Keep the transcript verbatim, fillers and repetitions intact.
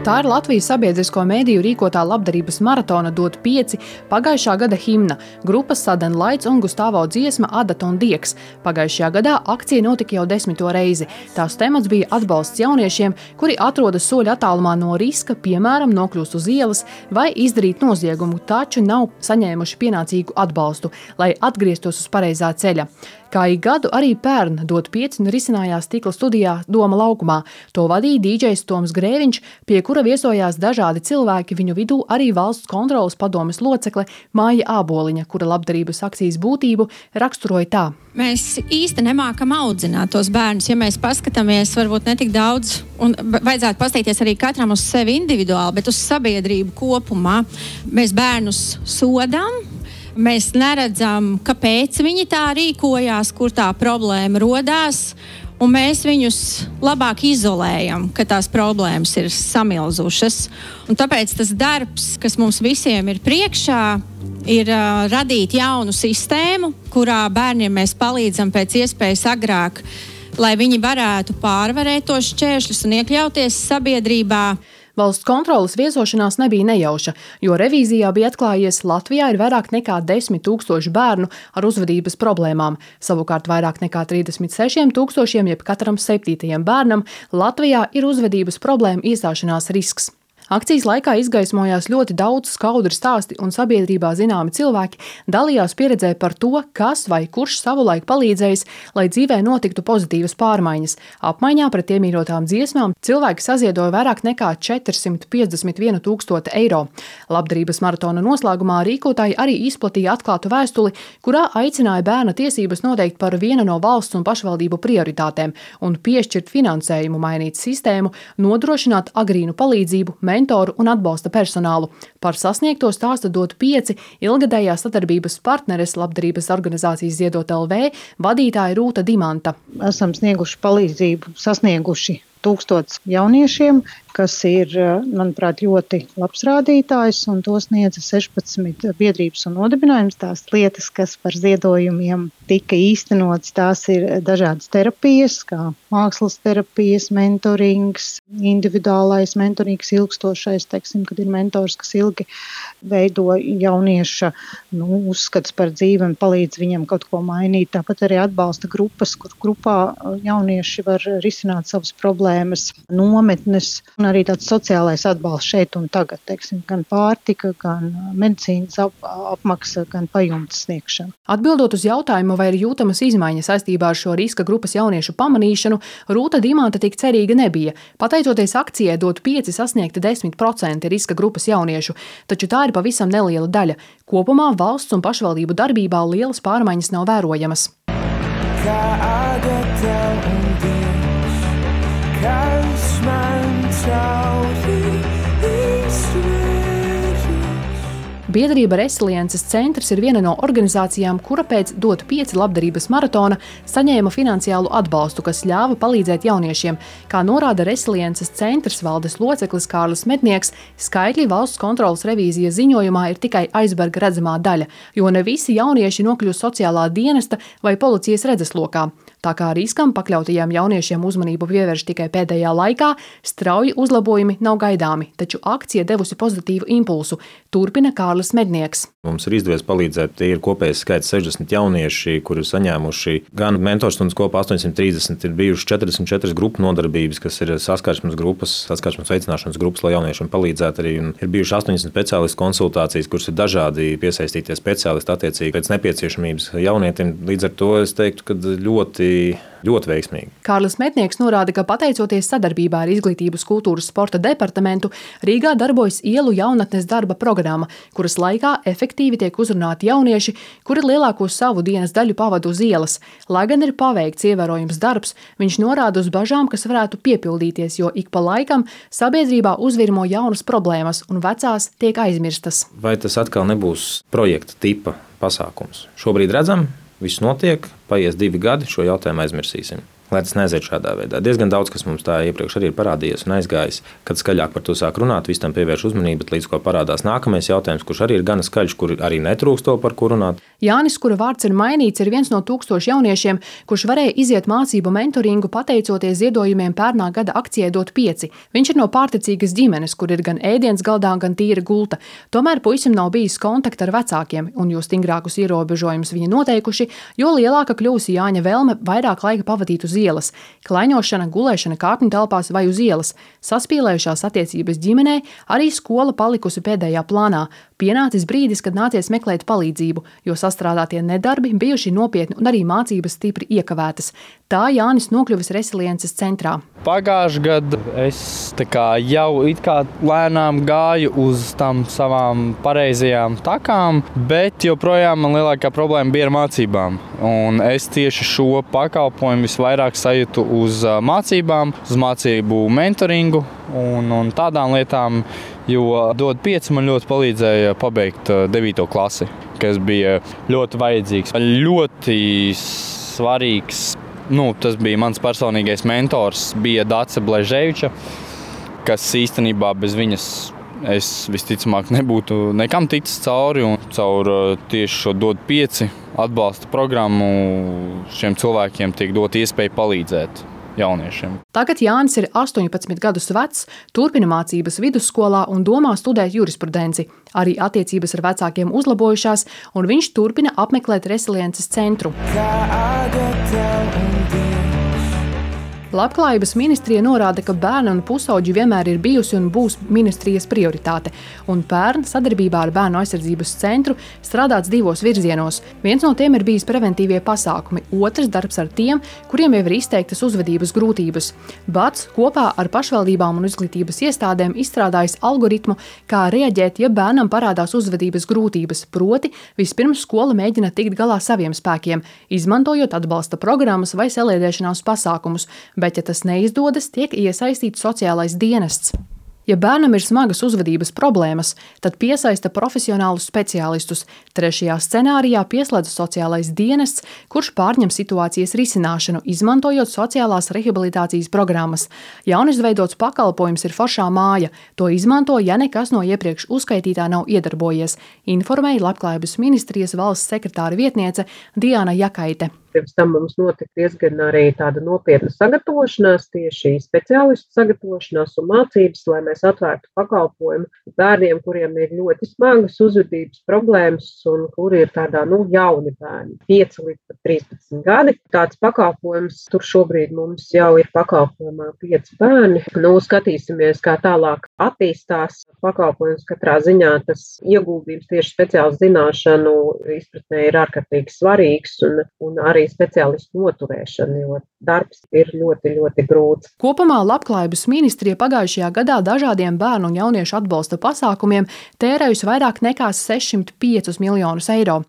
Tā ir Latvijas sabiedrisko mediju rīkotā labdarības maratona Dot pieci pagājušā gada himna, grupas Sudden Lights un Gustavo dziesma Adata un Dieks. Pagājušajā gadā akcija notika jau desmito reizi. Tās temats bija atbalsts jauniešiem, kuri atrodas soļa attālumā no riska, piemēram, nokļūst uz ielas vai izdarīt noziegumu, taču nav saņēmuši pienācīgu atbalstu, lai atgrieztos uz pareizā ceļa. Kā ik gadu arī pērn Dot pieci risinājās Stikla studijā Doma laukumā. To vadīja dīdžejs Toms Grēviņš, pie kura viesojās dažādi cilvēki, viņu vidū arī valsts kontroles padomes locekle Māja Āboliņa, kura labdarības akcijas būtību raksturoja tā. Mēs īsti nemākam audzināt tos bērnus, ja mēs paskatāmies varbūt netik daudz, un vajadzētu paskatīties arī katram uz sevi individuāli, bet uz sabiedrību kopumā. Mēs bērnus sodām. Mēs neredzam, kāpēc viņi tā rīkojās, kur tā problēma rodās, un mēs viņus labāk izolējam, ka tās problēmas ir samilzušas. Un tāpēc tas darbs, kas mums visiem ir priekšā, ir uh, radīt jaunu sistēmu, kurā bērniem mēs palīdzam pēc iespējas agrāk, lai viņi varētu pārvarēt tos šķēršļus un iekļauties sabiedrībā. Valsts kontroles viesošanās nebija nejauša, jo revīzijā bija atklājies, Latvijā ir vairāk nekā desmit tūkstoši bērnu ar uzvedības problēmām. Savukārt vairāk nekā trīsdesmit sešiem tūkstošiem, jeb katram septītajam bērnam, Latvijā ir uzvedības problēma iestāšanās risks. Akcijas laikā izgaismojās ļoti daudz skaudri stāsti un sabiedrībā zināmi cilvēki dalījās pieredzē par to, kas vai kurš savulaik palīdzējis, lai dzīvē notiktu pozitīvas pārmaiņas. Apmaiņā pret iemīļotām dziesmām cilvēki saziedoja vairāk nekā četrsimt piecdesmit vienu tūkstoti eiro. Labdarības maratona noslēgumā rīkotāji arī izplatīja atklātu vēstuli, kurā aicināja bērna tiesības noteikt par vienu no valsts un pašvaldību prioritātēm un piešķirt finansējumu, mainīt sistēmu, nodrošināt agrīnu palīdzību, mentoru un atbalsta personālu. Par sasniegto stāsta Dot pieci ilgadējās sadarbības partneres labdarības organizācijas Ziedot L V vadītāja Rūta Dimanta. Esam snieguši palīdzību, sasnieguši tūkstots jauniešiem, kas ir, manuprāt, ļoti labs rādītājs, un to sniedza sešpadsmit biedrības un nodibinājums. Tās lietas, kas par ziedojumiem tika īstenotas, tās ir dažādas terapijas, kā mākslas terapijas, mentorings, individuālais mentorings, ilgstošais, teiksim, kad ir mentors, kas ilgi veido jaunieša nu, uzskats par dzīvi un palīdz viņam kaut ko mainīt. Tāpat arī atbalsta grupas, kur grupā jaunieši var risināt savas problēmas, nometnes, un arī tāds sociālais atbalsts šeit un tagad, teiksim, gan pārtika, gan medicīnas ap, apmaksa, gan pajumtes sniegšana. Atbildot uz jautājumu, vai ir jūtamas izmaiņas saistībā ar šo riska grupas jauniešu pamanīšanu, Rūta Dimanta tik cerīga nebija. Pateicoties akcijai Dot pieci sasniegta desmit procenti riska grupas jauniešu, taču tā ir pavisam neliela daļa. Kopumā valsts un pašvaldību darbībā lielas pārmaiņas nav vērojamas. Kā Adata un Dieks, kas man cauri Biedrība Resiliences centrs ir viena no organizācijām, kura pēc Dot pieci labdarības maratona saņēma finansiālu atbalstu, kas ļāva palīdzēt jauniešiem. Kā norāda Resiliences centrs valdes loceklis Kārlis Mednieks, skaitļi valsts kontroles revīzijas ziņojumā ir tikai aizberga redzamā daļa, jo ne visi jaunieši nokļūst sociālā dienesta vai policijas redzeslokā. Tā kā riskam pakļautajiem jauniešiem uzmanību pievērš tikai pēdējā laikā, strauji uzlabojumi nav gaidāmi, taču akcija devusi pozitīvu impulsu, turpina Kārlis Mednieks. Mums ir izdevies palīdzēt, tie ir kopējais skaits sešdesmit jaunieši, kuri ir saņēmuši gan mentorstundas kopā astoņsimt trīsdesmit, ir bijuši četrdesmit četras grupu nodarbības, kas ir saskarsmes grupas, saskarsmes veicināšanas grupas, lai jauniešiem palīdzētu arī. Un ir bijuši astoņdesmit speciālistu konsultācijas, kuras ir dažādi piesaistītie speciālisti attiecīgi pēc nepieciešamības jaunietim. Līdz ar to es teiktu, ka ļoti ļoti veiksmīgi. Kārlis Mednieks norāda, ka pateicoties sadarbībā ar Izglītības, kultūras, sporta departamentu, Rīgā darbojas ielu jaunatnes darba programma, kuras laikā efektīvi tiek uzrunāti jaunieši, kuri lielāko savu dienas daļu pavada uz ielas. Lai gan ir paveikts ievērojams darbs, viņš norāda uz bažām, kas varētu piepildīties, jo ik pa laikam sabiedrībā uzvirmo jaunas problēmas un vecās tiek aizmirstas. Vai tas atkal nebūs projekta tipa pasākums? Šobrīd redzam, viss notiek, paies divi gadi, šo jautājumu aizmirsīsim. lai tas neaiziet šādā veidā. Diezgan daudz, kas mums tā iepriekš arī ir parādījies un aizgājis, kad skaļāk par to sāk runāt, vis tam pievērš uzmanību, bet līdz ko parādās nākamais jautājums, kurš arī ir gana skaļš, kur arī netrūkst to, par ko runāt. Jānis, kura vārds ir mainīts, ir viens no tūkstošu jauniešiem, kurš varēja iziet mācību mentoringu pateicoties ziedojumiem pērnā gada akcijai Dot pieci. Viņš ir no pārticīgas ģimenes, kur ir gan ēdiens galdā, gan tīra gulta. Tomēr puisim nav bijis kontakta ar vecākiem, un jo stingrākus ierobežojumus viņi noteikuši, jo lielāka kļūsi Jāņa vēlme vairāk laika pavadīt uz ielas. Klaiņošana, gulēšana kāpņu telpās vai uz ielas, saspīlējušās attiecības ģimenē, arī skola palikusi pēdējā plānā. Pienācis brīdis, kad nācies meklēt palīdzību, jo sastrādātie nedarbi bijuši nopietni un arī mācības stipri iekavētas. Tā Jānis nokļuvis Resiliences centrā. Pagājušajā gadā es tā kā jau it kā lēnām gāju uz tām savām pareizajām takām, bet joprojām man lielākā problēma bija ar mācībām. Un es tieši šo pakalpojumu visvairāk sajūtu uz mācībām, uz mācību mentoringu un, un tādām lietām, jo Dot pieci man ļoti palīdzēja pabeigt devīto klasi, kas bija ļoti vajadzīgs. Ļoti svarīgs, nu, tas bija mans personīgais mentors, bija Dace Bleževiča, kas īstenībā bez viņas es visticamāk nebūtu nekam ticis cauri, un caur tieši šo Dot pieci atbalsta programmu šiem cilvēkiem tiek dot iespēju palīdzēt jauniešiem. Tagad Jānis ir astoņpadsmit gadus vecs, turpina mācības vidusskolā un domā studēt jurisprudenci. Arī attiecības ar vecākiem uzlabojušās, un viņš turpina apmeklēt Resiliences centru. Labklājības ministrija norāda, ka bērni un pusauģi vienmēr ir bijusi un būs ministrijas prioritāte, un pērn sadarbībā ar Bērnu aizsardzības centru strādāts divos virzienos. Viens no tiem ir bijis preventīvie pasākumi, otrs darbs ar tiem, kuriem jau ir izteiktas uzvedības grūtības. Bats kopā ar pašvaldībām un izglītības iestādēm izstrādājis algoritmu, kā reaģēt, ja bērnam parādās uzvedības grūtības, proti vispirms skola mēģina tikt galā saviem spēkiem, izmantojot atbalsta programmas vai saliedēšanās pasākumus, bet, ja tas neizdodas, tiek iesaistīts sociālais dienests. Ja bērnam ir smagas uzvedības problēmas, tad piesaista profesionālus speciālistus. Trešajā scenārijā pieslēdz sociālais dienests, kurš pārņem situācijas risināšanu, izmantojot sociālās rehabilitācijas programmas. Jaunizveidots pakalpojums ir foršā māja. To izmanto, ja nekas no iepriekš uzskaitītā nav iedarbojies, informēja Labklājības ministrijas valsts sekretāra vietniece Diana Jakaite. Pirms tam mums notika diezgan arī tāda nopietna sagatavošanās, tieši speciālistu sagatavošanās un mācības, lai mēs atvērtu pakalpojumu bērniem, kuriem ir ļoti smagas uzvedības problēmas un kuri ir tādā, nu, jauni bērni, pieci līdz trīspadsmit gadi. Tāds pakalpojums, tur šobrīd mums jau ir pakalpojumā pieci bērni. Nu, skatīsimies, kā tālāk attīstās pakalpojums. Katrā ziņā tas ieguldījums tieši speciāls zināšanu izpratnē ir ārkārtīgi svarīgs un, un arī speciālistu noturēšana, jo darbs ir ļoti, ļoti grūts. Kopumā Labklājības ministrija pagājušajā gadā dažādiem bērnu un jauniešu atbalsta pasākumiem tērējusi vairāk nekā sešsimt piecus miljonus eiro.